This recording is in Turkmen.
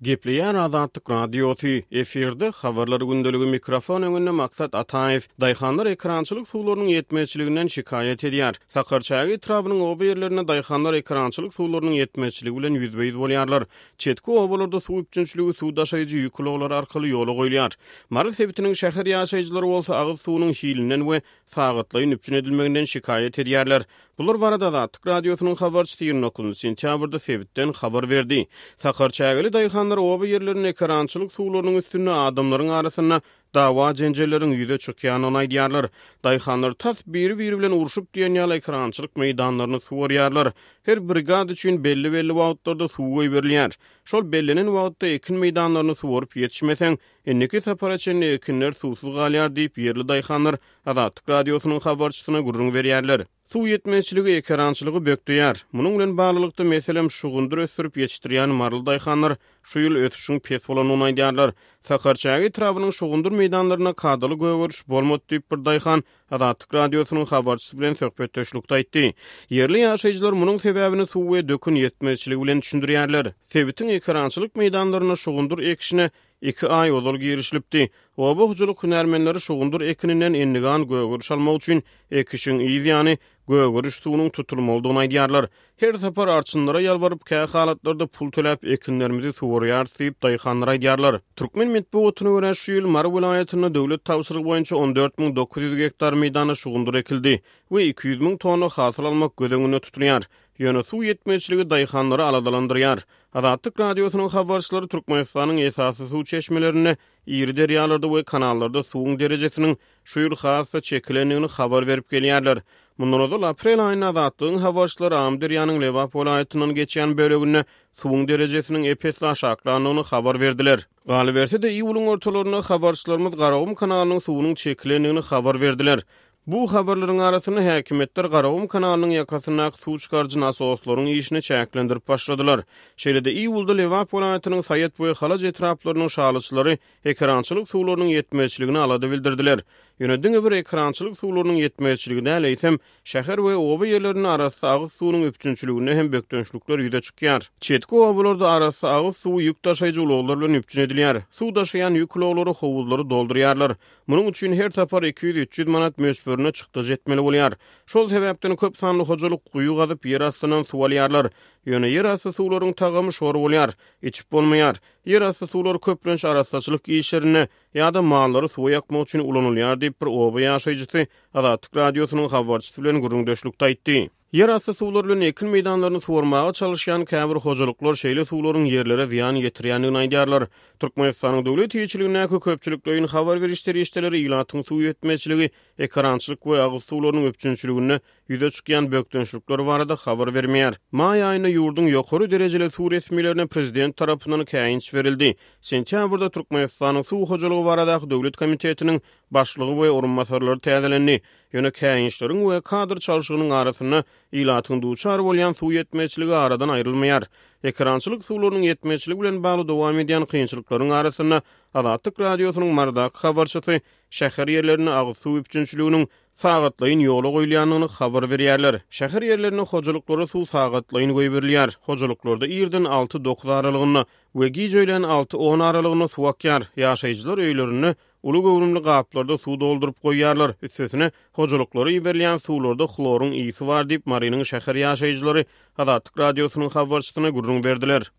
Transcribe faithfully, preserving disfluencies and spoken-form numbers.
Gepleýär Azatlyk Radiosy, efirde Habarlar gündeligi, mikrofon öňünde Maksat Ataýew. Daýhanlar ekerançylyk suwlarynyň ýetmezçiliginden şikaýat edýär. Sakarçäge etrabynyň oba ýerlerinde daýhanlar ekerançylyk suwlarynyň ýetmezçiligi bilen ýüzbe-ýüz bolýarlar. Çetki obalarda suw üpjünçiligi suw daşaýjy ýük ulaglary arkaly ýola goýulýar. Mary sebitiniň şäher ýaşaýjylary bolsa agyz suwunyň hilinden we sagatlaýyn üpjün edilmeginden şikaýat edýärler. Bular barada Azatlyk Radiosynyň habarçysy ýigrimi dokuzynjy sentýabrda sebitden habar berdi. Sakarçägeli daýhanlar oba ýerlerinde ekerançylyk suwlarynyň üstünde adamlaryň arasynda dawa-jenjelleriň ýüze çykýandygyny aýdýarlar. Daýhanlar tas biri-biri bilen urşup diýen ýaly ekerançylyk meýdanlaryny suwarýarlar. Her brigada üçin belli-belli wagtlarda suw goýberilýär. Şol bellenen wagtda ekin meýdanlaryny suwaryp ýetişmeseň, indiki sapara çenli ekinler suwsuz galýar diýip, ýerli daýhanlar Azatlyk Radiosynyň habarçysyna gürrüň berýärler. Suw ýetmezçiligi ekerançylygy bökdeýär. Munuň bilen baglylykda, meselem, şugundyr ösdürip ýetişdirýän maryly daýhanlar şu ýyl ösüşiň pes bolandygyny aýdýarlar. Sakarçäge etrabynyň şugundyr meýdanlarynda kadaly gögeriş bolmady diýip, bir daýhan Azatlyk Radiosynyň habarçysy bilen söhbetdeşlikde aýtdy. Ýerli ýaşaýjylar munuň sebäbini suw we dökün ýetmezçiligi bilen düşündirýärler. Sebitiň ekerançylyk meýdanlarynda şugundyr ekişine iki aý ozal girişilipdi. Oba hojalyk hünärmenleri şugundyr ekininden endigan gögeriş almak üçin ekişiň yz ýany gögeriş suwunyň tutulmalydygyny aýdýarlar. Her sapar arçynlara ýalbaryp, kä halatlarda pul töläp ekinlerimizi suwarýarys diýip, daýhanlar aýdýarlar. Türkmen metbugatyna görä, şu ýyl Mary welaýatynda döwlet tabşyrygy boýunça on dört müň dokuz ýüz gektar meýdanda şugundyr ekildi we iki ýüz müň tonna hasyl almak göz öňünde tutulýar. Ýöne suw ýetmezçiligi daýhanlary aladalandyrýar. Azatlyk Radiosynyň habarçylary Türkmenistanyň esasy suw çeşmelerinde, iri derýalarda we kanallarda suwuň derejesiniň şu ýyl has-da çekilendigini habar berip gelýärler. Mundan ozal aprel aýynda Azatlygyň habarçylary Amyderýanyň Lebap welaýatyndan geçýän böleginde suwuň derejesiniň ep-esli aşaklandygyny habar berdiler. Galyberse-de, iýulyň ortalarynda habarçylarymyz Garagum kanalynyň suwunyň çekilendigini habar berdiler. Bu habarlaryň arasynda häkimiýetler Garagum kanalynyň ýakasyndaky suw çykaryjy nasoslaryň işini çäklendirip başladylar. Şeýle-de iýulda Lebap welaýatynyň Saýat we Halaç etraplarynyň şalyçylary ekerançylyk suwlarynyň ýetmezçiligine alada bildirdiler. Ýöne diňe bir ekerançylyk suwlarynyň ýetmezçiligi däl, eýsem, şäher we oba ýerlerinde arassa agyz suwunyň üpjünçiliginde hem bökdençlikler ýüze çykýar. Çetki obalarda arassa agyz suwy ýük daşaýjy ulaglar bilen üpjün edilýär. Suw daşaýan ýük ulaglary howuzlary doldurýarlar. Munuň üçin her sapar iki ýüz üç ýüz manat möçberinde çykdajy etmeli bolýar. Şol sebäpden köp sanly hojalyk guýy gazyp, ýer astyndan suw alýarlar. Ýöne ýer asty suwlaryň tagamy şor bolýar, içip bolmaýar. Ýer asty suwlar köplenç arassaçylyk işlerinde ýa-da mallary suwa ýakmak üçin ulanylýar diýip, bir oba ýaşaýjysy Azatlyk Radiosynyň habarçysy bilen gürrüňdeşlikde aýtdy. Ýer asty suwlar bilen ekin meýdanlaryny suwarmaga çalyşýan käbir hojalyklar şeýle suwlaryň ýerlere zyýan ýetirýändigini aýdýarlar. Türkmenistanyň döwlet eýeçiligindäki köpçülikleýin habar beriş serişdeleri ilatyň suw ýetmezçiligi, ekerançylyk we agyz suwlarynyň üpjünçiliginde ýüze çykýan bökdençlikler barada habar bermeýär. Maý aýynda ýurduň ýokary derejeli suw resmilerine prezident tarapyndan käýinç berildi. Sentýabrda Türkmenistanyň suw hojalygy baradaky döwlet komitetiniň başlygy we orunbasarlary täzelendi. Ýöne käýinçleriň we kadr çalşygynyň arasynda ilatyň duçar bolýan suw ýetmezçiligi aradan aýrylmaýar. Ekerançylyk suwlarynyň ýetmezçiligi bilen bagly dowam edýän kynçylyklaryň arasynda Azatlyk Radiosynyň Marydaky habarçysy şäher ýerlerinde agyz suw üpjünçiliginiň sagatlaýyn ýola goýulýandygyny habar berýärler. Şäher ýerlerinde hojalyklara suw sagatlaýyn goýberilýär. Hojalyklarda irden alty dokuz aralygynda we gije öýlän alty on aralygynda suw akýar. Ýaşaýjylar öýlerinde uly göwrümli gaplarda suw dolduryp goýýarlar. Üstesine hojalyklara iberilýän suwlarda hloryň ýygy bar diýip, Marynyň şäher ýaşaýjylary Azatlyk Radiosynyň habarçysyna gürrüň berdiler.